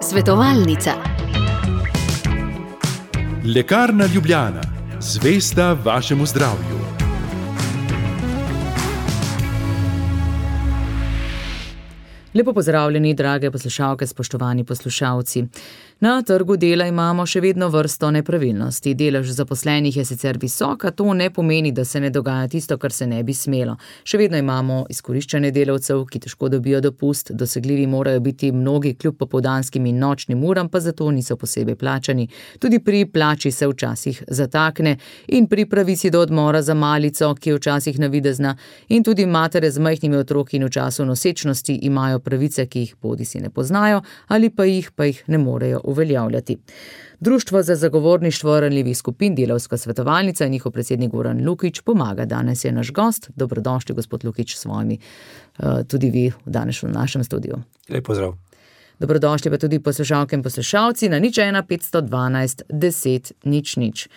Svetovalnica. Lekarna Ljubljana, zvesta vašemu zdravju. Lepo pozdravljeni, drage poslušalke, spoštovani poslušalci. Na trgu dela imamo še vedno vrsto nepravilnosti. Delež zaposlenih je sicer visok, a to ne pomeni, da se ne dogaja tisto, kar se ne bi smelo. Še vedno imamo izkoriščanje delavcev, ki težko dobijo dopust, dosegljivi morajo biti mnogi kljub popoldanskim in nočnim uram, pa zato niso posebej plačani. Tudi pri plači se včasih zatakne in pri pravici do odmora za malico, ki je včasih navidezna, in tudi matere z majhnimi otroki in v času nosečnosti imajo pravice, ki jih bodisi ne poznajo ali pa jih ne morejo uveljavljati. Društvo za zagovorništvo ranljivih skupin, Delavska svetovalnica in njihov predsednik Goran Lukić pomaga. Danes je naš gost. Dobrodošli, gospod Lukić, s svojimi, tudi vi danes v našem studiu. Lep pozdrav. Dobrodošli pa tudi poslušalke in poslušalci na 01 512 10 00.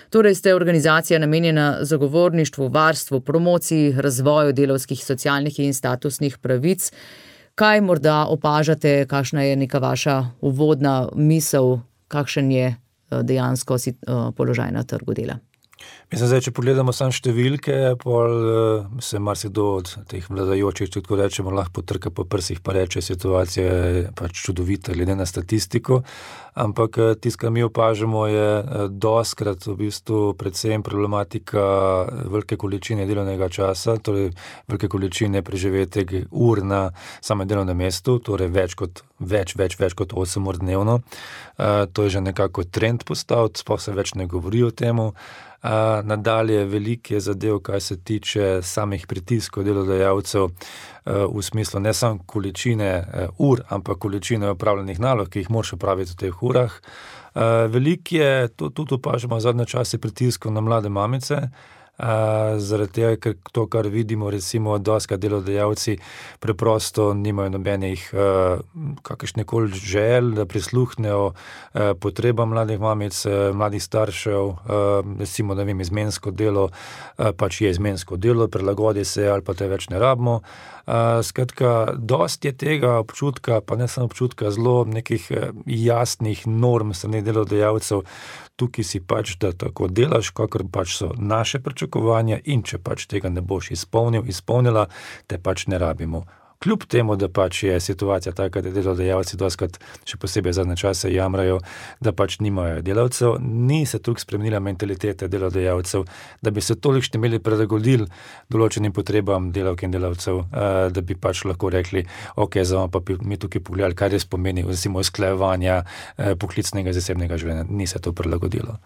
Torej ste organizacija namenjena zagovorništvu, varstvu, promociji, razvoju delavskih, socialnih in statusnih pravic. Kaj morda opažate, kakšna je neka vaša uvodna misel, kakšen je dejansko položaj na trgu dela? Mislim, če pogledamo samo številke, se marsikdo od teh vladajočih, če tako rečemo, lahko potrka po prsih pa reče, situacija je pač čudovita glede na statistiko, ampak tisto, kar mi opažamo, je dostkrat v bistvu predvsem problematika velike količine delovnega časa, torej velike količine preživetih ur na samem delovnem mestu, torej več kot 8 ur dnevno. To je že nekako trend postal, sploh se več ne govori o temu. Nadalje veliko je zadev, kaj se tiče samih pritiskov delodajalcev, v smislu ne samo količine ur, ampak količine opravljenih nalog, ki jih moraš opraviti v teh urah. Veliko je, tudi opažamo zadnje čase, pritiskov na mlade mamice, zaradi tega, ker to, kar vidimo, recimo, dostikrat delodajalci preprosto nimajo nobenih kakršnekoli želj, da prisluhnejo potrebam mladih mamic, mladih staršev, recimo, ne vem, izmensko delo, pač je izmensko delo, prilagodi se ali pa te več ne rabimo. Skratka, dosti je tega občutka, pa ne samo občutka, zelo nekih jasnih norm strani delodajalcev. Tukaj si pač, da tako delaš, kakor pač so naše pričakovanja, in če pač tega ne boš izpolnila, te pač ne rabimo. Kljub temu, da pač je situacija taka, da delodajalci dostikrat, še posebej zadnje čase, jamrajo, da pač nimajo delavcev, ni se toliko spremenila mentaliteta delodajalcev, da bi se tolikšni imeli prilagodili določenim potrebam delavk in delavcev, da bi pač lahko rekli, ok, zdaj pa mi tukaj pogledali, kaj res pomeni, recimo, usklajevanja poklicnega in zasebnega življenja. Ni se to prilagodilo.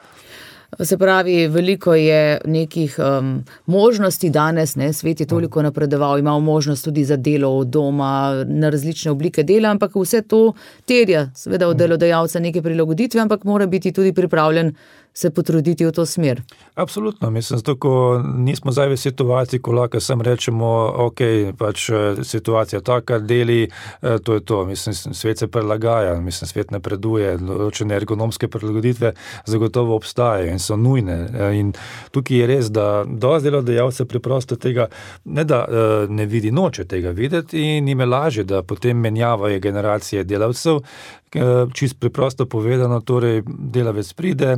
Se pravi, veliko je nekih možnosti danes, svet je toliko napredoval, imamo možnost tudi za delo od doma, na različne oblike dela, ampak vse to terja seveda od delodajalca neke prilagoditve, ampak mora biti tudi pripravljen se potruditi v to smer. Absolutno, mislim, zato, ko nismo zdaj v situaciji, ko lahko sam rečemo, ok, pač situacija taka, deli, to je to. Mislim, svet se prilagaja, mislim, svet napreduje, določene ergonomske prilagoditve zagotovo obstajajo in so nujne. In tukaj je res, da dosti delodajalcev preprosto tega, ne da ne vidi, noče tega videti in jim je lažje, da potem menjavajo generacije delavcev, čisto preprosto povedano, torej delavec pride,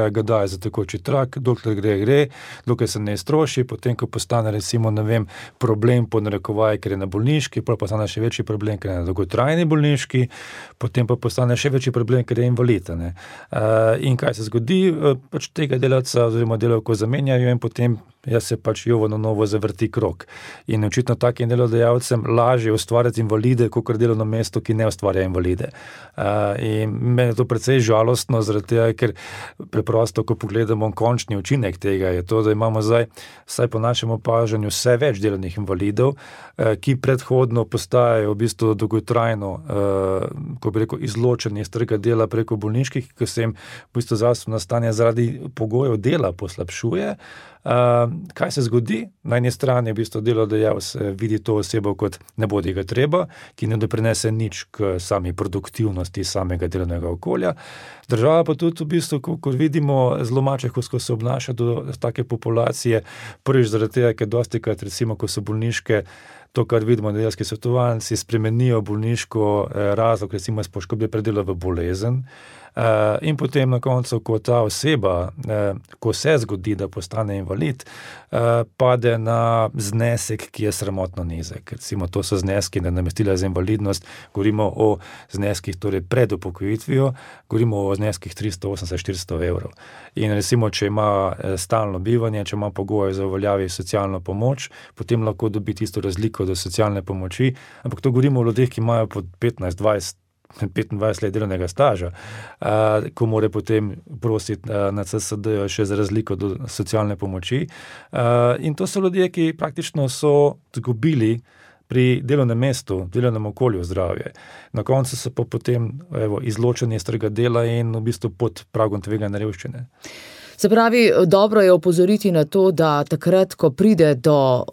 ga daje za tekoči trak, dokler gre, dokler se ne iztroši, potem, ko postane, recimo, ne vem, problem po narekovaji, ker je na bolniški, potem postane še večji problem, ker je na dolgotrajni bolniški, potem pa postane še večji problem, ker je invalid. In kaj se zgodi? Pač tega delavca oziroma delavko zamenjajo in potem se pač jovo na novo zavrti krog. In očitno takim delodajalcem lažje ustvarjati invalide, kakor delovno mesto, ki ne ustvarja invalide. In meni je to precej žalostno, zaradi tega, ker preprosto, ko pogledamo končni učinek tega, je to, da imamo zdaj, vsaj po našem opažanju, vse več delovnih invalidov, ki predhodno postajajo v bistvu dolgotrajno, ko bi rekel, izločeni iz trga dela preko bolniških, ko se jim v bistvu zdravstveno stanje zaradi pogojev dela poslabšuje. Kaj se zgodi? Na eni strani v bistvu delodajalec vidi to osebo kot ne bodi ga treba, ki ne doprinese nič k sami produktivnosti samega delovnega okolja. Država pa tudi v bistvu, ko vidimo zelo mačehovsko se obnaša do take populacije, prvič zaradi tega, ker dostikrat, recimo, ko so bolniške, to, kar vidimo, delavski svetovalci spremenijo bolniško razlog, recimo iz poškodbe pri delu v bolezen, in potem na koncu, ko ta oseba, ko se zgodi, da postane invalid, pade na znesek, ki je sramotno nizek. Recimo, to so zneski nadomestila za invalidnost, govorimo o zneskih torej pred upokojitvijo, govorimo o zneskih 380-400 evrov. In recimo, če ima stalno bivanje, če ima pogoje za uveljavi socialno pomoč, potem lahko dobi tisto razliko do socialne pomoči, ampak to govorimo o ljudeh, ki imajo pod 15-20 25 let delovnega staža, ko mora potem prositi na CSD še za razliko do socialne pomoči. In to so ljudje, ki praktično so zgubili pri delovnem mestu, delovnem okolju zdravje. Na koncu so pa potem izločeni iz trga dela in v bistvu pod pragom tveganja revščine. Se pravi, dobro je opozoriti na to, da takrat, ko pride do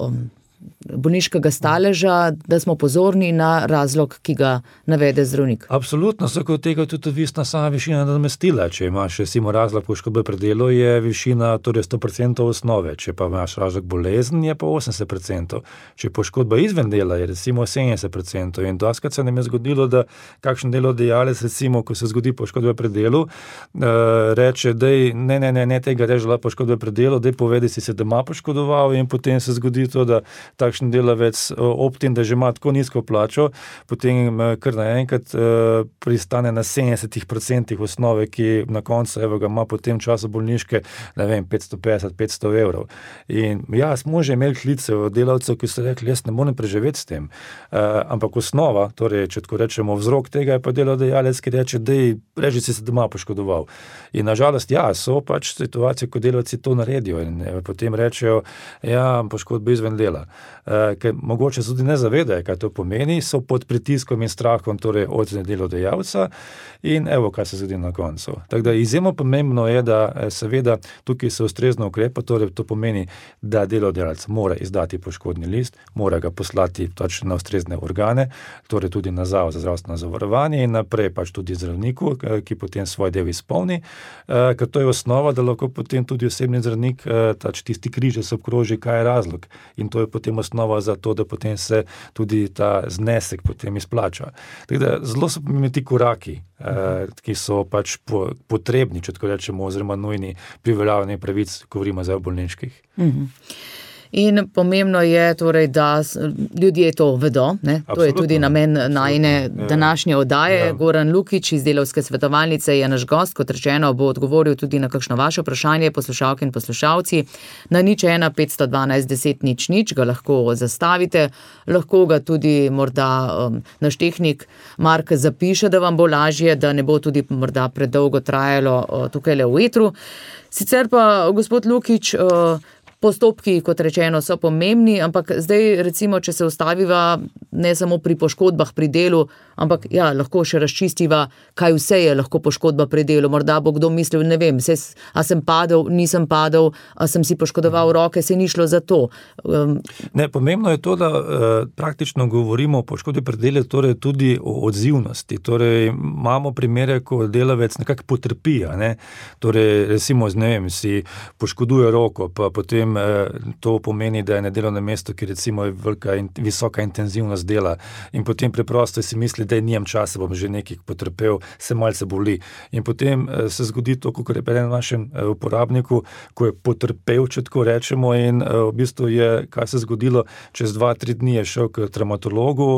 bolniškega staleža, da smo pozorni na razlog, ki ga navede zdravnik. Absolutno, vsako od tega je tudi odvisna sama višina nadomestila. Če imaš recimo razlog poškodbe pri delu, je višina torej 100% osnove. Če pa imaš razlog bolezen, je pa 80%. Če poškodba izven dela, je recimo 70%. In doskrat se nam je zgodilo, da kakšen delodajalec, recimo, ko se zgodi poškodba pri delu, reče, dej, ne tega režila poškodbe pri delu, dej povedi si se doma poškodoval, in potem se zgodi to, da takšen delavec ob tem, da že ima tako nizko plačo, potem kar naenkrat pristane na 70% osnove, ki na koncu ga ima po tem času bolniške, 550-500 evrov. In ja, smo že imeli klice od delavcev, ki so rekli, jaz ne morem preživeti s tem. Ampak osnova, torej, če tako rečemo, vzrok tega je pa delodajalec, ki reče, dej, reži si se doma poškodoval. In nažalost, ja, so pač situacije, ko delavci to naredijo in potem rečejo, ja, poškodba izven dela. Ker mogoče tudi ne zavedajo, kaj to pomeni, so pod pritiskom in strahom torej od delodajalca in evo, kaj se zgodi na koncu. Tako da izjemno pomembno je, da seveda tukaj se ustrezno ukrepa, torej to pomeni, da delodajalec mora izdati poškodni list, mora ga poslati pač na ustrezne organe, torej tudi na Zavod za zdravstveno zavarovanje in naprej pač tudi zdravniku, ki potem svoj del izpolni, ker to je osnova, da lahko potem tudi osebni zdravnik tisti križ se obkroži, kaj je razlog. In to je potem osnova za to, da potem se tudi ta znesek potem izplača. Tako da zelo so pomembni ti koraki, ki so pač potrebni, če tako rečemo, oziroma nujni pri uveljavljanju pravic, ko govorimo zdaj o bolniških. In pomembno je torej, da ljudje to vedo, ne? To je tudi namen najine današnje oddaje. Ja. Goran Lukić iz Delavske svetovalnice je naš gost, kot rečeno, bo odgovoril tudi na kakšno vaše vprašanje, poslušalke in poslušalci. Na 01 512 10 00 ga lahko zastavite, lahko ga tudi morda naš tehnik Mark zapiše, da vam bo lažje, da ne bo tudi morda predolgo trajalo tukaj v etru. Sicer pa, gospod Lukić, postopki, kot rečeno, so pomembni, ampak zdaj recimo, če se ustaviva ne samo pri poškodbah pri delu, ampak ja, lahko še razčistiva, kaj vse je lahko poškodba pri delu. Morda bo kdo mislil, ne vem, a sem padel, nisem padel, a sem si poškodoval roke, se ni šlo za to. Ne, pomembno je to, da praktično govorimo o poškodbi pri delu, torej tudi o odzivnosti. Torej imamo primere, ko delavec nekako potrpi, ne? Torej recimo, ne vem, si poškoduje roko, pa potem to pomeni, da je na delovnem mestu, ki recimo je velika in visoka intenzivnost dela in potem preprosto si misli, da nijem časa, bom že nekaj potrpel, se malce boli. In potem se zgodi to, kot je pri našem uporabniku, ko je potrpel, če tako rečemo, in v bistvu je, kaj se zgodilo, čez 2-3 dni je šel k traumatologu,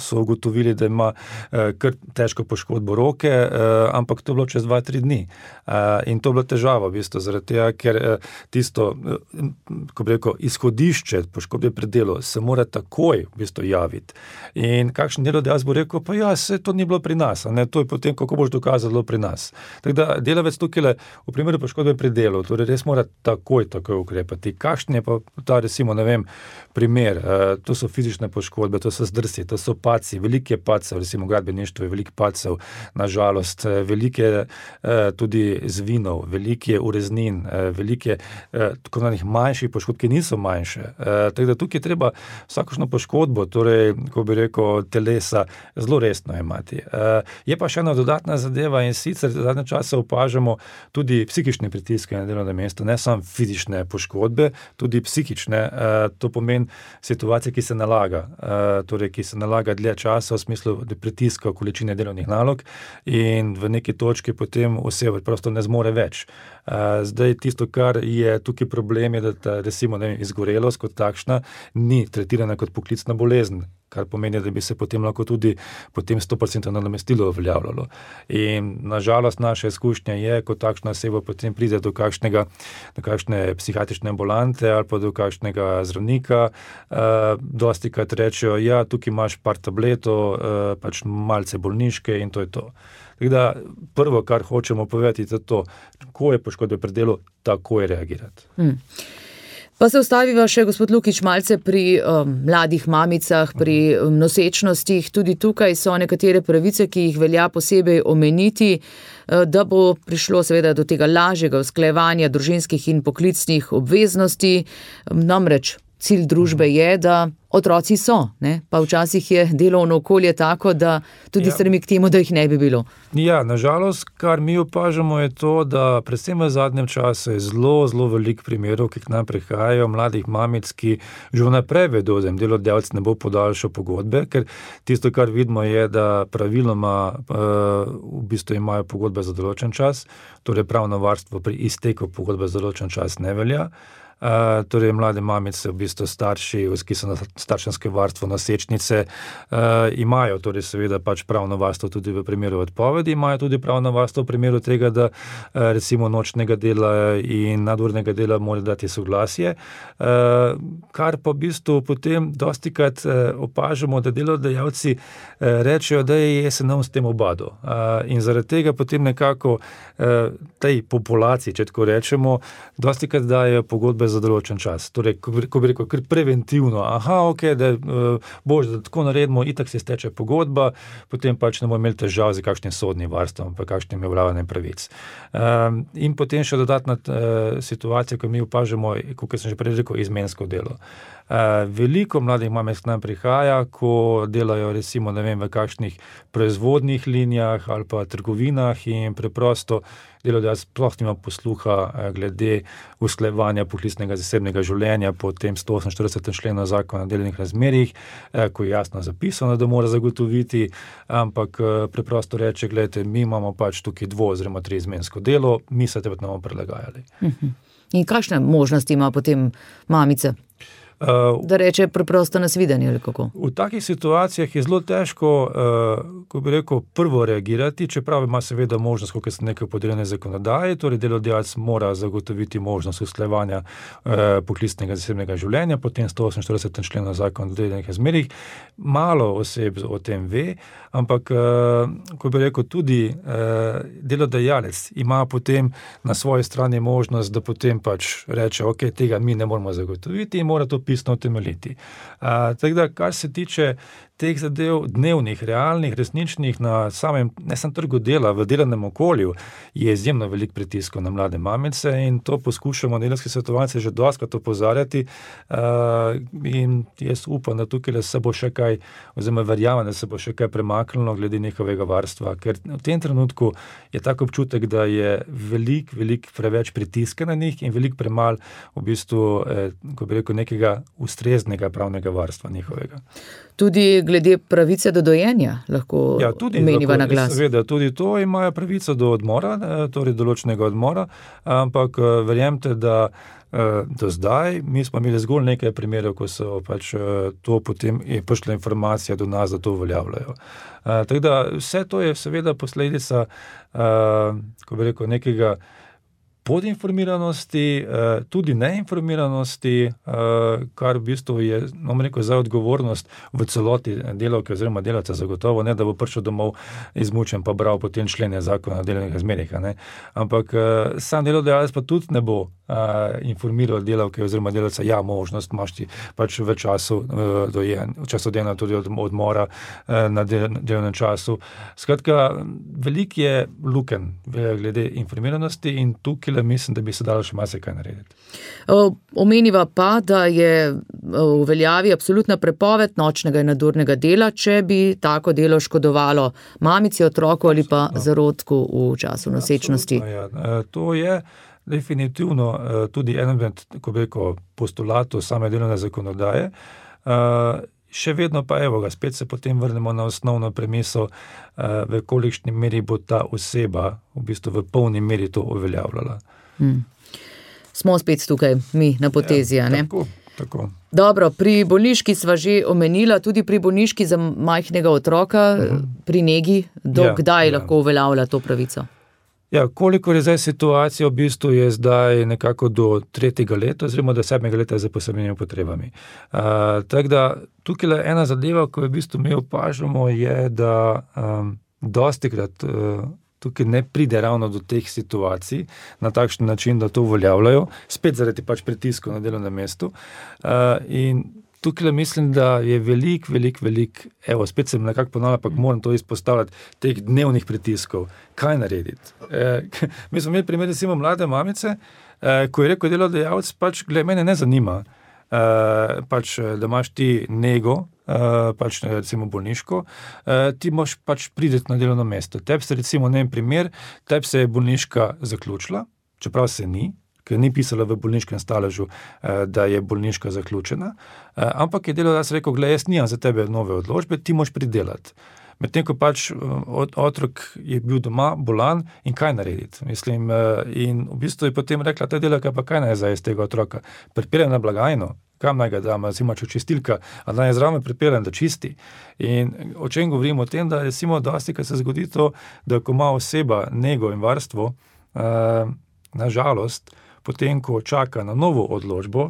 so ugotovili, da ima kar težko poškodbo roke, ampak to je bilo čez 2-3 dni. In to je bila težava, v bistvu, zaradi tega, ker tisto, ko bi rekel, izhodišče poškodbe pri delu se mora takoj v bistvu javiti. In kakšen delodajalec bo rekel, pa ja, se to ni bilo pri nas, ne, to je potem, kako boš dokazal, bilo pri nas. Tako da delavec tukaj v primeru poškodbe pri delu, torej res mora takoj ukrepati. Kakšen je pa ta, recimo, ne vem, primer, to so fizične poškodbe, to so zdrsi, to so padci, velike padcev, recimo gradbeništvo je veliko padcev, nažalost, velike tudi zvinov, velike ureznin, velike tako nanih manjših poškodb, ki niso manjše. Tako da tukaj treba vsakošno poškodbo, torej, ko bi rekel, telesa, zelo resno imati. Je pa še ena dodatna zadeva in sicer zadnje čase opažamo tudi psihične pritiske na delovnem mestu, ne samo fizične poškodbe, tudi psihične. To pomeni situacija, ki se nalaga, torej, ki se nalaga dlje časa v smislu pritiska količine delovnih nalog in v neki točki potem oseba prosto ne zmore več. Zdaj tisto, kar je tukaj problem, je, da ta, recimo, izgorelost kot takšna ni tretirana kot poklicna bolezen, kar pomeni, da bi se potem lahko tudi potem 100% nadomestilo uveljavljalo. In nažalost naša izkušnja je, ko takšna oseba potem pride do kakšne psihiatrične ambulante ali pa do kakšnega zdravnika, dostikrat rečejo, ja, tukaj imaš par tabletov, pač malce bolniške in to je to. Tako da prvo, kar hočemo povedati, je to, ko je poškodba pri delu, takoj reagirati. Pa se ustaviva še, gospod Lukič, malce pri mladih mamicah, pri nosečnostih. Tudi tukaj so nekatere pravice, ki jih velja posebej omeniti, da bo prišlo seveda do tega lažjega usklajevanja družinskih in poklicnih obveznosti. Namreč cilj družbe je, da otroci so, ne? Pa včasih je delovno okolje tako, da tudi stremi k temu, da jih ne bi bilo. Ja, nažalost, kar mi opažamo je to, da predvsem v zadnjem času je zelo veliko primerov, ki k nam prihajajo, mladih mamic, ki že vnaprej vedo, da jim delodajalec ne bo podaljšal pogodbe, ker tisto, kar vidimo, je, da praviloma v bistvu imajo pogodbe za določen čas, torej pravno varstvo pri izteku pogodbe za določen čas ne velja. Torej mlade mamice, v bistvu starši, ki so na starševskem varstvu, nosečnice, imajo torej seveda pač pravno varstvo tudi v primeru odpovedi, imajo tudi pravno varstvo v primeru tega, da recimo nočnega dela in nadurnega dela mora dati soglasje, kar pa v bistvu potem dostikrat opažamo, da delodajalci rečejo, da je se nam s tem obadil. In zaradi tega potem nekako tej populaciji, če tako rečemo, dostikrat dajo pogodbe za določen čas. Torej, ko bi rekel, ker preventivno, da bož, da tako naredimo, itak se steče pogodba, potem pač ne bomo imeli težav z kakšnim sodnim varstvom, pa kakšnim uveljavljanjem pravic. In potem še dodatna situacija, ko mi opažamo, kot sem že prej rekel, izmensko delo. Veliko mladih mamic k nam prihaja, ko delajo recimo, ne vem, v kakšnih proizvodnih linijah ali pa trgovinah in preprosto delodajalec sploh nima posluha glede usklajevanja poklicnega zasebnega življenja po tem 148. členu Zakona o delovnih razmerjih, ko je jasno zapisano, da mora zagotoviti, ampak preprosto reče, gledajte, mi imamo pač tukaj 2 oziroma 3 izmensko delo, mi se te pa ne bomo prilagajali. In kakšne možnosti ima potem mamica? Da reče preprosto nasvidenje ali kako? V takih situacijah je zelo težko, ko bi rekel, prvo reagirati, čeprav ima seveda možnost, kot se nekaj podeljene zakonodaje, torej delodajalec mora zagotoviti možnost usklajevanja poklicnega zasebnega življenja, potem 148. členu Zakona o delovnih razmerjih. Malo oseb o tem ve, ampak, ko bi rekel, tudi delodajalec ima potem na svoji strani možnost, da potem pač reče, tega mi ne moramo zagotoviti in mora to pisno utemeljiti. Tako da, kar se tiče teh zadev dnevnih, realnih, resničnih na samem, ne samo trgu dela, v delovnem okolju, je izjemno veliko pritiskov na mlade mamice in to poskušamo delavske svetovalce že dostikrat opozarjati in jaz upam, da tukaj se bo še kaj, oziroma verjamem, da se bo še kaj premaknilo glede njihovega varstva, ker v tem trenutku je tak občutek, da je veliko preveč pritiska na njih in veliko premal v bistvu, ko bi rekel, nekega ustreznega pravnega varstva njihovega. Tudi glede pravice do dojenja lahko omeniva na glas. Seveda, tudi to imajo pravico do odmora, torej določenega odmora, ampak verjemite, da do zdaj mi smo imeli zgolj nekaj primerov, ko so pač to potem je prišla informacija do nas, da to uveljavljajo. Tako da vse to je seveda posledica, ko bi rekel, nekega podinformiranosti, tudi neinformiranosti, kar v bistvu je, za odgovornost v celoti delavke oziroma delavca zagotovo, ne da bo prišel domov izmučen pa bral potem člene Zakona o delovnih razmerjih, ne. Ampak sam delodajalec pa tudi ne bo informiral delavke oziroma delavca, možnost imaš ti pač v času dela tudi odmora na delovnem času. Skratka, veliko je lukenj glede informiranosti in tukaj tukaj mislim, da bi se dalo še marsikaj narediti. Omeniva pa, da je v veljavi absolutna prepoved nočnega in nadurnega dela, če bi tako delo škodovalo mamici, otroku ali pa zarodku v času nosečnosti. Ja, to je definitivno tudi eden med, ko bi rekel, postulatov same delovne zakonodaje. Še vedno pa spet se potem vrnemo na osnovno premiso, v kolikšni meri bo ta oseba v bistvu v polni meri to uveljavljala. Smo spet tukaj, mi na potezi, ne? Tako. Dobro, pri bolniški sva že omenila, tudi pri bolniški za majhnega otroka, pri negi, kdaj lahko uveljavlja to pravico? Ja, kolikor je zdaj situacija, v bistvu je zdaj nekako do 3. leta, oziroma do 7. leta za posebnimi potrebami. Tako da, tukaj ena zadeva, ko v bistvu mi opažamo, je, da dostikrat tukaj ne pride ravno do teh situacij na takšen način, da to uveljavljajo, spet zaradi pritiskov na delovnem mestu. In tukaj mislim, da je velik, spet sem nekako ponavljal, pa moram to izpostavljati, teh dnevnih pritiskov. Kaj narediti? Mi smo imeli primer, recimo, mlade mamice, ko je rekel delodajalec, glej, mene ne zanima, da imaš ti nego, recimo bolniško, ti moš prideti na delovno mesto. Tebi se recimo, primer, tebi se je bolniška zaključila, čeprav se ni, ker ni pisala v bolniškem staležu, da je bolniška zaključena, ampak je delodajalec rekel, glej, jaz nimam za tebe nove odločbe, ti moš pridelati. Medtem ko otrok je bil doma bolan in kaj narediti. Mislim, in v bistvu je potem rekla, ta delaka pa kaj naj zdaj iz tega otroka? Pripeljem na blagajno, kam naj ga dam, recimo čistilka, a naj zraven pripeljem, da čisti. In o čem govorimo? O tem, da recimo dostikrat se zgodi to, da ko ima oseba nego in varstvo, na žalost, potem, ko čaka na novo odločbo,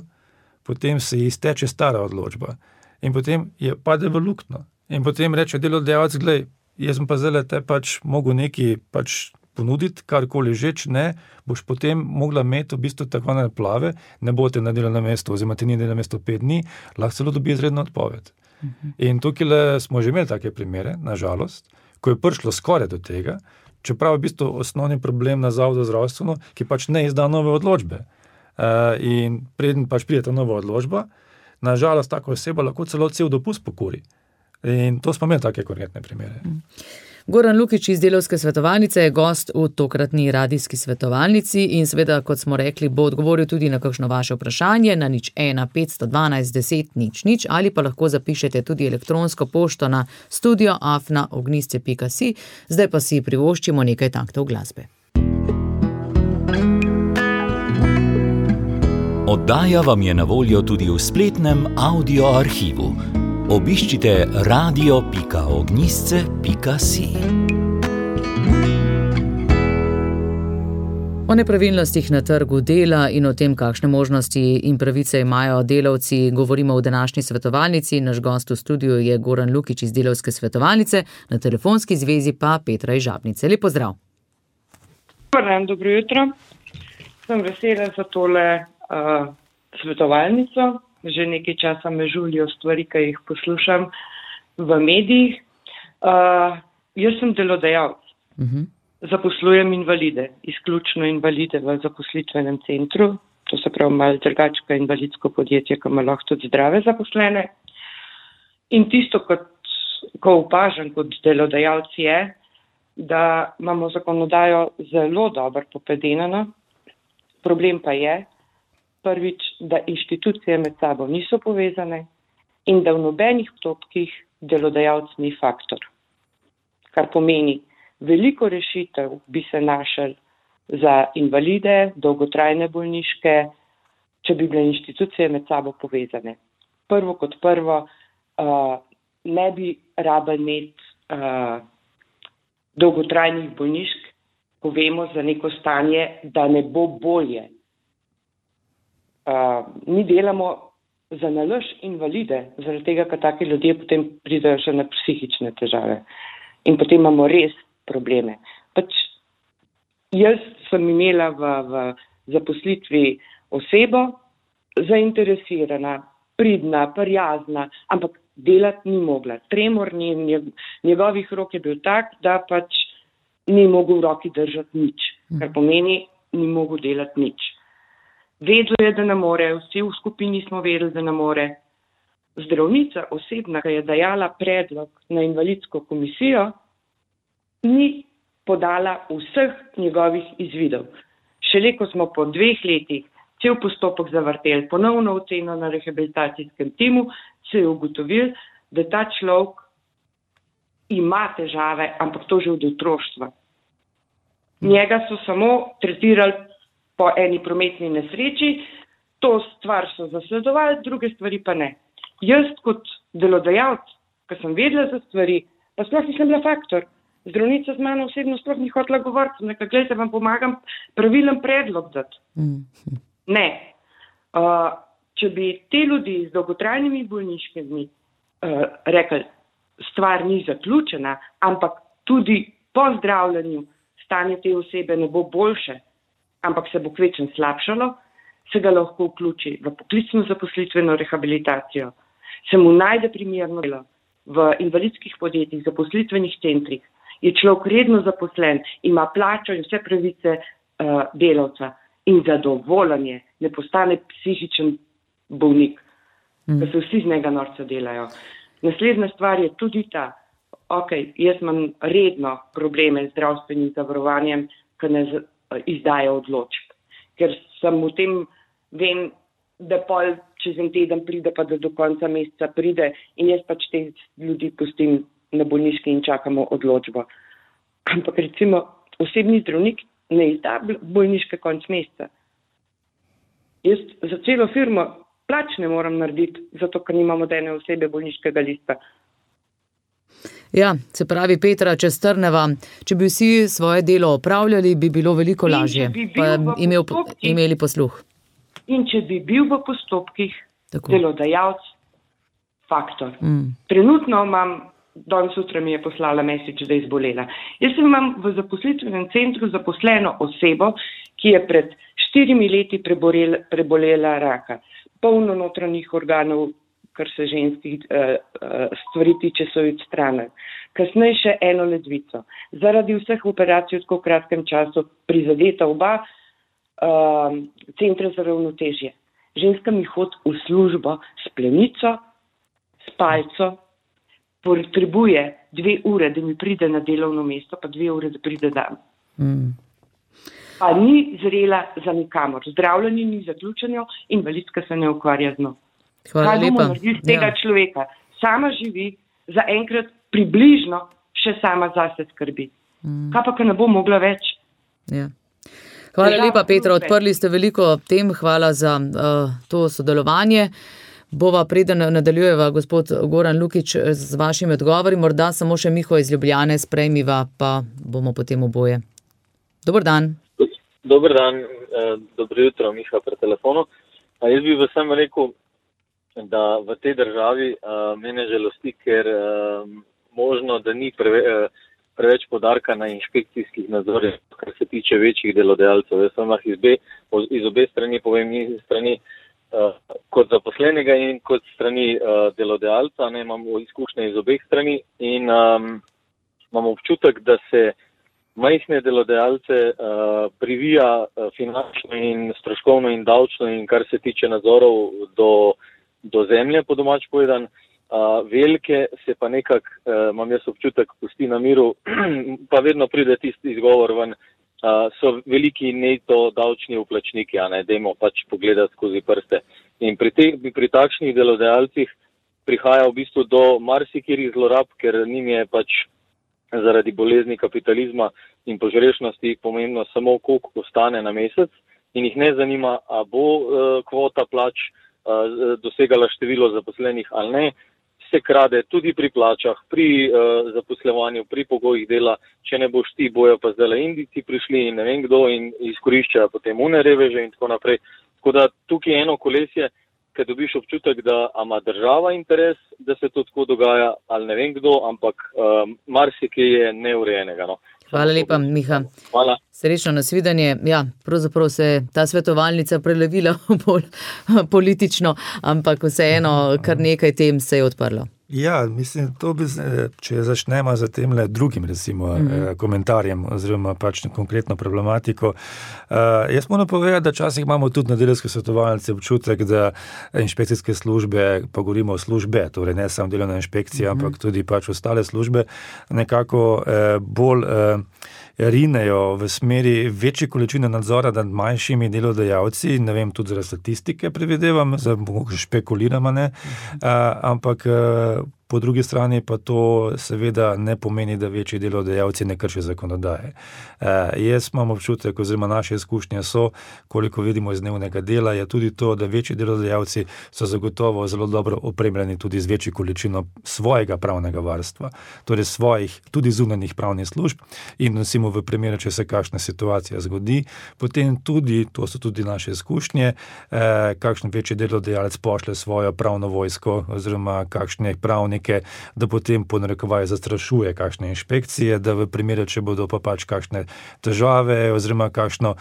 potem se izteče stara odločba in potem je pade v luknjo. In potem reče delodajalec, glej, jaz sem pa zdaj te mogel nekaj ponuditi, karkoli že, če ne, boš potem mogla imeti v bistvu tako plave, ne bote na delovnem mestu, oziroma ti ni delovno mesto 5 dni, lahko celo dobi izredno odpoved. In tukaj smo že imeli take primere, na žalost, ko je prišlo skoraj do tega, čeprav je v bistvu osnovni problem na Zavodu zdravstveno, ki ne izda nove odločbe. In preden pride ta nova odločba, na žalost taka oseba lahko celo cel dopust pokuri. In to smo imeli take konkretne primere. Goran Lukić iz Delavske svetovalnice je gost v tokratni radijski svetovalnici in seveda, kot smo rekli, bo odgovoril tudi na kakšno vaše vprašanje na 01 512 10 00 ali pa lahko zapišete tudi elektronsko pošto na studio@ognjisce.si. Zdaj pa si privoščimo nekaj taktov glasbe. Oddaja vam je na voljo tudi v spletnem audio arhivu. Obiščite radio.ognjisce.si. O nepravilnostih na trgu dela in o tem, kakšne možnosti in pravice imajo delavci, govorimo v današnji svetovalnici. Naš gost v studiu je Goran Lukić iz Delavske svetovalnice, na telefonski zvezi pa Petra iz Žabnice. Lep pozdrav. Dobro jutro. Sem vesela za tole svetovalnico. Že nekaj časa me žulijo stvari, ki jih poslušam v medijih. Jaz sem delodajalec. Zaposlujem invalide, izključno invalide v zaposlitvenem centru. To se pravi malo drugačko invalidsko podjetje, ki ima lahko tudi zdrave zaposlene. In tisto, ko opažam kot delodajalec je, da imamo zakonodajo zelo dobro popedenano. Problem pa je, prvič, da inštitucije med sabo niso povezane in da v nobenih postopkih delodajalec ni faktor. Kar pomeni, veliko rešitev bi se našel za invalide, dolgotrajne bolniške, če bi bile inštitucije med sabo povezane. Prvo kot prvo, ne bi rabili imeti dolgotrajnih bolnišk, ko vemo za neko stanje, da ne bo bolje. Mi delamo za nalaž invalide, zaradi tega, ker taki ljudje potem pridejo še na psihične težave. In potem imamo res probleme. Jaz sem imela v zaposlitvi osebo, zainteresirana, pridna, prijazna, ampak delati ni mogla. Tremor njegovih rok je bil tak, da ni mogel v roki držati nič. Kar pomeni, ni mogel delati nič. Vedel je, da ne more, vsi v skupini smo vedeli, da ne more. Zdravnica osebna, ki je dajala predlog na invalidsko komisijo, ni podala vseh njegovih izvidov. Šele ko smo po 2 letih cel postopek zavrteli, ponovno oceno na rehabilitacijskem timu, se je ugotovil, da ta človek ima težave, ampak to že od otroštva. Njega so samo tretirali po eni prometni nesreči, to stvar so zasledovali, druge stvari pa ne. Jaz kot delodajalec, ko sem vedela za stvari, pa sploh nisem bila faktor. Zdravnica z mano osebno sploh ni hotela govoriti, nekaj, gledajte, vam pomagam pravilen predlog dati. Ne. Če bi te ljudi z dolgotrajnimi bolniškimi rekli, stvar ni zaključena, ampak tudi po zdravljenju stanje te osebe ne bo boljše, ampak se bo kvečem slabšalo, se ga lahko vključi v poklicno zaposlitveno rehabilitacijo, se mu najde primerno delo v invalidskih podjetjih, zaposlitvenih centrih, je človek redno zaposlen, ima plačo in vse pravice delavca in zadovoljen je, ne postane psihičen bolnik, da se vsi z njega norca delajo. Naslednja stvar je tudi ta, jaz imam redno probleme z zdravstvenim zavarovanjem, ki ne izdajo odločb, ker sem v tem, vem, da pol čez en teden pride, pa da do konca meseca pride in jaz pač te ljudi pustim na bolniški in čakamo odločbo. Ampak recimo osebni zdravnik ne izda bolniške konc meseca. Jaz za celo firmo plač ne moram narediti, zato ker nimamo dene osebe bolniškega lista. Ja, se pravi, Petra, če strneva, če bi vsi svoje delo opravljali, bi bilo veliko lažje, pa imeli posluh. In če bi bil v postopkih delodajalec faktor. Trenutno imam, danes sutra mi je poslala message, da je izbolela. Jaz imam v zaposlitvenem centru zaposleno osebo, ki je pred 4 leti prebolela raka. Polno notranjih organov, kar se ženskih stvari tiče, so jo odstranili. Kasneje še eno ledvico. Zaradi vseh operacij v tako kratkem času prizadeta oba centra za ravnotežje. Ženska mi hodi v službo s plenico, s palco, potrebuje 2 ure, da mi pride na delovno mesto, pa 2 ure, da pride dan. Pa ni zrela za nikamor. Zdravljenje ni zaključeno, invalidska se ne ukvarja z njo. Kaj bomo naredili z tega človeka? Sama živi, zaenkrat približno še sama zase skrbi. Kaj pa, ko ne bo mogla več? Ja. Hvala lepa, Petra, odprli ste veliko tem, hvala za to sodelovanje. Bova preden nadaljujeva, gospod Goran Lukič, z vašimi odgovori, morda samo še Miho iz Ljubljane sprejmiva, pa bomo potem oboje. Dober dan. Dober dan, dobro jutro, Miha pri telefonu. Jaz bi vsem rekel, da v tej državi mene žalosti, ker možno, da ni preveč podarka na inšpekcijskih nadzorih, kar se tiče večjih delodajalcev. Jaz sem iz obe strani, povem iz strani kot zaposlenega in kot strani delodajalca, imam izkušnje iz obeh strani in imam občutek, da se majhne delodajalce privija finančno in stroškovno in davčno in kar se tiče nadzorov do zemlje, po domač povedan. Velike se pa nekako, imam jaz občutek, pusti na miru, pa vedno pride tisti izgovor ven, so veliki neto davčni vplačniki, dajmo pač pogledati skozi prste. In pri takšnih delodajalcih prihaja v bistvu do marsikjerih zlorab, ker njim je pač zaradi bolezni kapitalizma in požrešnosti pomembno samo, koliko ostane na mesec in jih ne zanima, a bo kvota plač dosegala število zaposlenih ali ne. Se krade tudi pri plačah, pri zaposlovanju, pri pogojih dela, če ne boš ti, bojo pa zdaj Indijci prišli in ne vem kdo in izkoriščajo potem reveže in tako naprej. Tako da tukaj je eno kolesje, ker dobiš občutek, da ima država interes, da se to tako dogaja, ali ne vem kdo, ampak marsikaj je neurejenega. No. Hvala lepa, Miha. Hvala. Srečno nasvidenje. Ja, pravzaprav se je ta svetovalnica prelevila bolj politično, ampak vseeno kar nekaj tem se je odprlo. Ja, mislim, če začnemo za tem drugim komentarjem oziroma pač konkretno problematiko. Jaz moram povedati, da včasih imamo tudi na delavske svetovalnice občutek, da inšpekcijske službe, pa govorimo o službe, torej ne samo delovna inšpekcija, ampak tudi pač ostale službe, nekako bolj rinejo v smeri večje količine nadzora nad manjšimi delodajalci, ne vem, tudi zaradi statistike predvidevam, špekuliramo, ampak po drugi strani pa to seveda ne pomeni, da večji delodajalci ne kršijo zakonodaje. Jaz imam občutek, oziroma naše izkušnje so, koliko vidimo iz dnevnega dela, je tudi to, da večji delodajalci so zagotovo zelo dobro opremljeni tudi z večjo količino svojega pravnega varstva, torej svojih tudi zunanjih pravnih služb in nosimo v primeru, če se kakšna situacija zgodi, potem tudi, to so tudi naše izkušnje, kakšen večji delodajalec pošlje svojo pravno vojsko oziroma kakšne pravnike, da potem po narekovaju zastrašuje kakšne inšpekcije, da v primeru, če bodo pa pač kakšne težave oziroma kakšno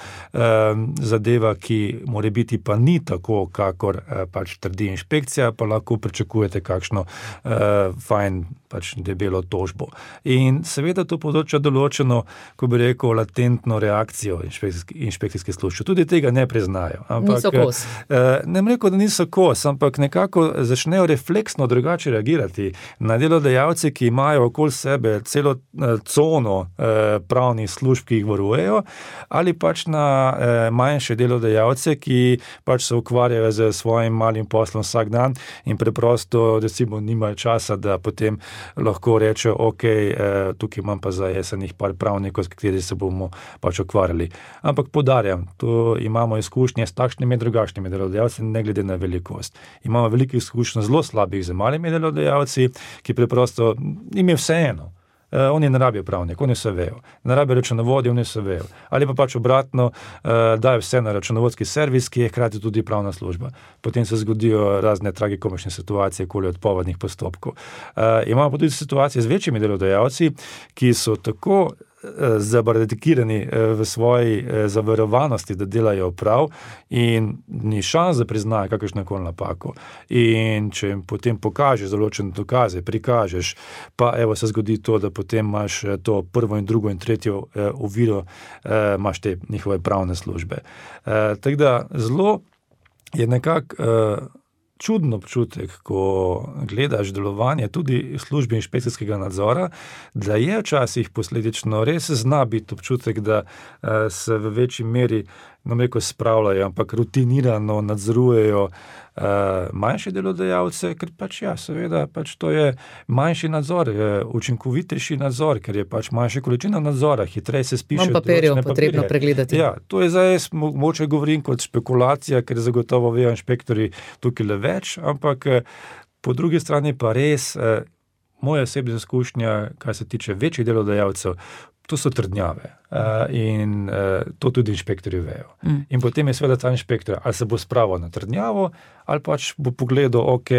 zadeva, ki more biti pa ni tako, kakor pač trdi inšpekcija, pa lahko pričakujete kakšno fajn pač debelo tožbo. In seveda to področja določeno, ko bi rekel, latentno reakcijo inšpekcijske službe. Tudi tega ne priznajo. Niso kos. Ne bom rekel, da niso kos, ampak nekako začnejo refleksno drugače reagirati na delodajalce, ki imajo okoli sebe celo cono pravnih služb, ki jih varujejo, ali pač na manjše delodajalce, ki pač se ukvarjajo z svojim malim poslom vsak dan in preprosto, recimo, nimajo časa, da potem lahko rečejo, ok, tukaj imam pa za jesenih par pravnikov, s kateri se bomo pač ukvarjali. Ampak poudarjam, to imamo izkušnje s takšnimi drugačnimi delodajalci, ne glede na velikost. Imamo veliko izkušnje zelo slabih z malimi delodajalci, ki preprosto jim je vseeno. Oni ne rabijo pravnik, oni se vejo. Ne rabijo računovodje, oni se vejo. Ali pa pač obratno, dajo vse na računovodski servis, ki je hkrati tudi pravna služba. Potem se zgodijo razne tragikomične situacije, okoli odpovednih postopkov. Imamo pa tudi situacije z večjimi delodajalci, ki so tako zabardikirani v svoji zaverovanosti, da delajo prav in ni šans, da priznajo kakršnokoli napako. In če jim potem pokažeš določene dokaze, prikažeš, pa evo se zgodi to, da potem imaš to prvo in drugo in tretjo oviro, imaš te njihove pravne službe. Tako da zelo je nekako čudno občutek, ko gledaš delovanje tudi službe inšpekcijskega nadzora, da je včasih posledično res zna biti občutek, da se v večji meri, spravljajo, ampak rutinirano nadzorujejo manjše delodajalce, ker pač seveda, pač to je manjši nadzor, učinkovitejši nadzor, ker je pač manjša količina nadzora, hitreje se spiše. Manj papirjev potrebno pregledati. Ja, to je zdaj, mogoče govorim kot špekulacija, ker zagotovo vejo inšpektori tukaj le več, ampak po drugi strani pa res, moja osebna izkušnja, kar se tiče večjih delodajalcev, to so trdnjave in to tudi inšpektorji vejo. In potem je seveda ta inšpektor, ali se bo spravil na trdnjavo, ali pač bo pogledal, ok,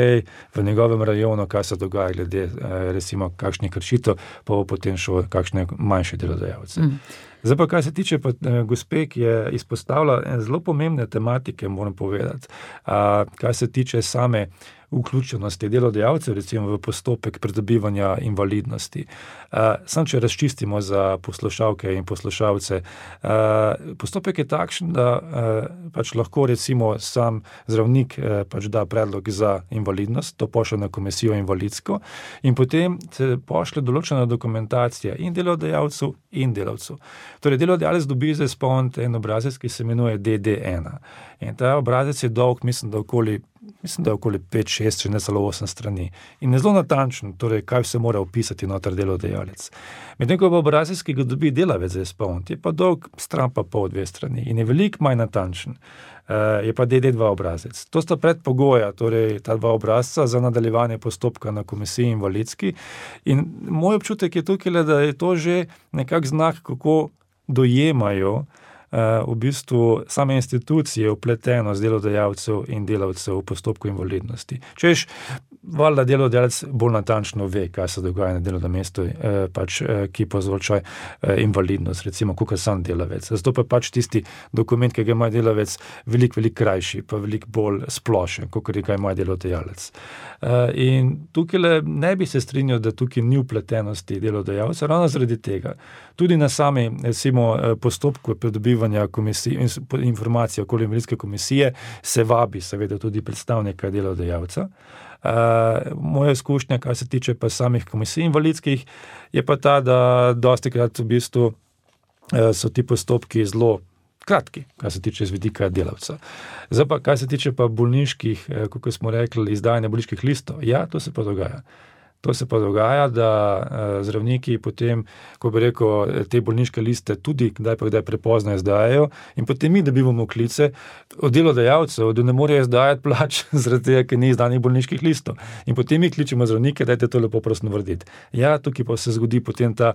v njegovem rajonu, kaj se dogaja glede, recimo, kakšnih kršitev, pa bo potem šel kakšne manjše delodajalce. Zdaj pa, kaj se tiče pa gospe, ki je izpostavila zelo pomembne tematike, moram povedati, kaj se tiče same vključenosti delodajalcev, recimo v postopek pridobivanja invalidnosti. Samo če razčistimo za poslušalke in poslušalce, postopek je takšen, da pač lahko recimo sam zdravnik pač da predlog za invalidnost, to pošlje na komisijo invalidsko in potem se pošlje določena dokumentacija in delodajalcev in delavcev. Torej, delodajalec dobi za izpolniti en obrazec, ki se imenuje DD1. In ta obrazec je dolg, mislim, da okoli 5, 6, če ne celo 8 strani. In je zelo natančen, torej, kaj se mora opisati noter delodajalec. Medtem ko pa obrazec, ki ga dobi delavec za izpolniti, je pa dolg stran pa pol 2 strani in je veliko manj natančen. Je pa DD2 obrazec. To sta predpogoja, torej ta 2 obrazca za nadaljevanje postopka na komisiji invalidski. In moj občutek je tukaj, da je to že nekak znak, kako dojemajo v bistvu same institucije vpletenost delodajalcev in delavcev v postopku invalidnosti. Češ, valjda delodajalec bolj natančno ve, kaj se dogaja na delovnem mestu, ki povzroča invalidnost, recimo, kakor sam delavec. Zato pa tisti dokument, ki ga ima delavec, veliko krajši, pa veliko bolj splošen, kakor ga ima delodajalec. In tukaj ne bi se strinjal, da tukaj ni vpletenosti delodajalca, ravno zaradi tega. Tudi na sami, recimo, postopku pridobivanja informacij okoli invalidske komisije se vabi seveda tudi predstavnika delodajalca. Moja izkušnja, kar se tiče pa samih komisij invalidskih, je pa ta, da dostikrat v bistvu so ti postopki zelo kratki, kar se tiče z vidika delavca. Zdaj pa, kar se tiče pa bolniških, kako smo rekli, izdajanja bolniških listov, ja, to se pa dogaja. To se pa dogaja, da zdravniki potem, ko bi rekel, te bolniške liste tudi kdaj prepozno izdajajo in potem mi dobivamo klice od delodajalcev, da ne morejo izdajati plač zaradi tega, ker ni izdanih bolniških listov. In potem mi kličemo zdravnike, dajte to lepo prosto narediti. Ja, tukaj pa se zgodi potem ta,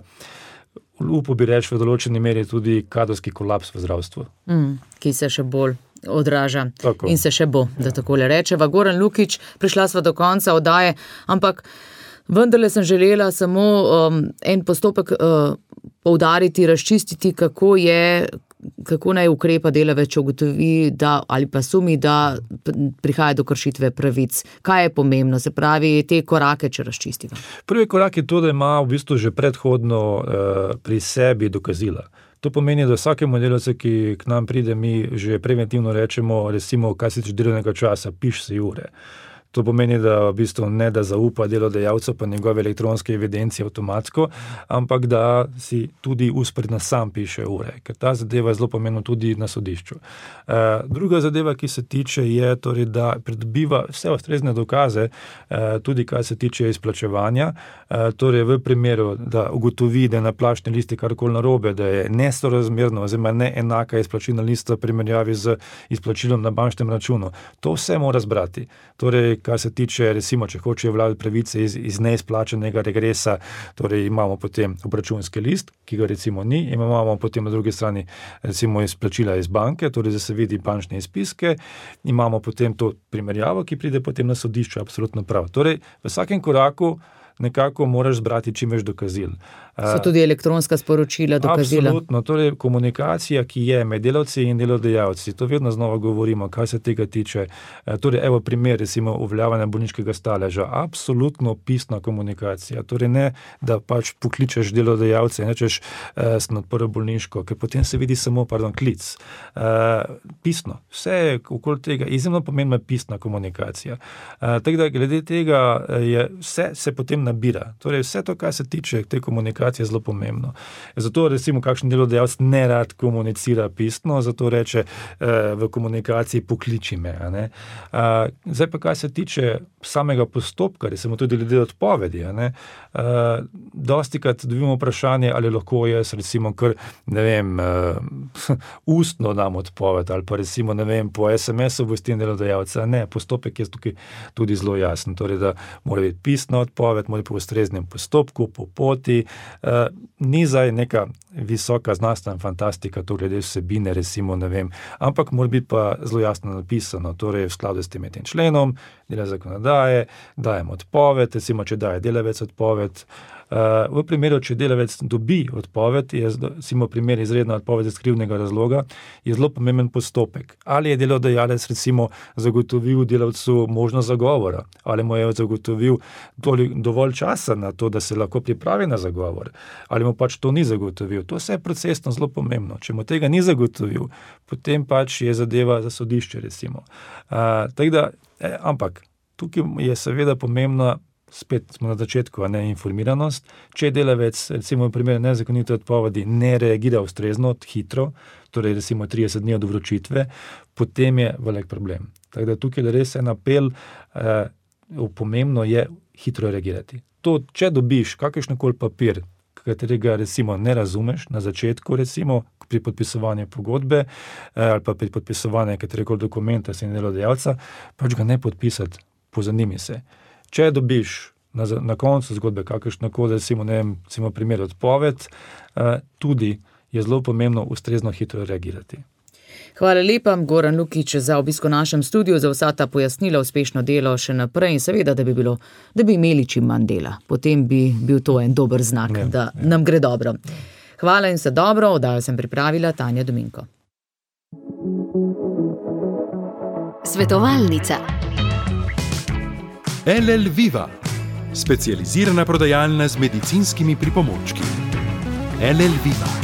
upo bi reči, v določeni meri tudi kadrovski kolaps v zdravstvu. Ki se še bolj odraža. Tako. In se še bo, da takole rečeva. Goran Lukić, prišla sva do konca oddaje, ampak vendarle sem želela samo en postopek poudariti, razčistiti, kako naj ukrepa delavec, če ugotovi, da, ali pa sumi, da prihaja do kršitve pravic. Kaj je pomembno? Se pravi, te korake, če razčistiva. Prvi korak je to, da ima v bistvu že predhodno pri sebi dokazila. To pomeni, da vsakemu delavcu, ki k nam pride, mi že preventivno rečemo, recimo, kaj se tiče delovnega časa, piš si ure. To pomeni, da v bistvu ne da zaupa delodajalcu pa njegove elektronske evidencije avtomatsko, ampak da si tudi uspredno sam piše ure, ker ta zadeva je zelo pomembna tudi na sodišču. Druga zadeva, ki se tiče, je torej, da pridobiva vse ustrezne dokaze, tudi kar se tiče izplačevanja, torej v primeru, da ugotovi, da je na plačni listi karkoli narobe, da je nesorazmerno oziroma neenaka izplačilna lista v primerjavi z izplačilom na bančnem računu. To vse mora zbrati. Torej, kar se tiče, recimo, če hočejo vladati pravice iz neizplačenega regresa, torej imamo potem obračunski list, ki ga recimo ni, imamo potem na drugi strani recimo izplačila iz banke, torej da se vidi bančne izpiske, imamo potem to primerjavo, ki pride potem na sodišče, absolutno prav. Torej, v vsakem koraku nekako moraš zbrati čim več dokazil. So tudi elektronska sporočila, dokazila? Absolutno, torej komunikacija, ki je med delavci in delodajalci, to vedno znova govorimo, kaj se tega tiče. Torej, evo primer, recimo, uveljavljanja bolniškega staleža, absolutno pisna komunikacija, torej ne, da pokličeš delodajalce in rečeš, sem odprl bolniško, ker potem se vidi samo, klic. Pisno, vse je okoli tega, izjemno pomembna pisna komunikacija. Tako da, glede tega je vse se potem nabira. Torej, vse to, kar se tiče te komunikacije, je zelo pomembno. Zato, recimo, kakšen delodajalec ne rad komunicira pisno, zato reče v komunikaciji pokliči me. Zdaj pa, kar se tiče samega postopka, recimo tudi glede odpovedi, dostikrat dobimo vprašanje, ali lahko jaz, recimo, kar, ustno dam odpoved, ali pa recimo, po SMS-u obvestim delodajalca. Ne, postopek je tukaj tudi zelo jasen. Torej, da mora biti pisna odpoved, mora biti po ustreznem postopku, po poti. Ni zdaj neka visoka znanstvena fantastika, to glede vsebine, recimo, ampak mora biti pa zelo jasno napisano, torej v skladu s tem členom, dela zakonodaje, dajem odpoved, recimo, če daje delavec odpoved. V primeru, če delavec dobi odpoved, je recimo primer izredna odpoved iz krivdnega razloga, je zelo pomemben postopek. Ali je delodajalec recimo zagotovil delavcu možnost zagovora, ali mu je zagotovil dovolj časa na to, da se lahko pripravi na zagovor, ali mu to ni zagotovil. To vse je procesno zelo pomembno. Če mu tega ni zagotovil, potem je zadeva za sodišče, recimo. Ampak tukaj je seveda pomembna, spet smo na začetku, informiranost. Če delavec, recimo v primeru nezakonite odpovedi, ne reagira ustrezno, hitro, torej recimo 30 dni od vročitve, potem je velik problem. Tako da tukaj je res en apel, pomembno je hitro reagirati. To, če dobiš kakršnokoli papir, katerega recimo ne razumeš na začetku, recimo pri podpisovanju pogodbe ali pa pri podpisovanju katerekoli dokumenta s delodajalca, ga ne podpisati, pozanimi se. Če dobiš na koncu zgodbe kakršnokoli, recimo primer odpoved, tudi je zelo pomembno ustrezno hitro reagirati. Hvala lepa, Goran Lukić, za obisko v našem studiu, za vsa ta pojasnila, uspešno delo še naprej in seveda, da bi imeli čim manj dela. Potem bi bil to en dober znak, da nam gre dobro. Hvala in vse dobro, oddajo sem pripravila Tanja Dominko. Svetovalnica. LL Viva, specializirana prodajalna z medicinskimi pripomočki. LL Viva.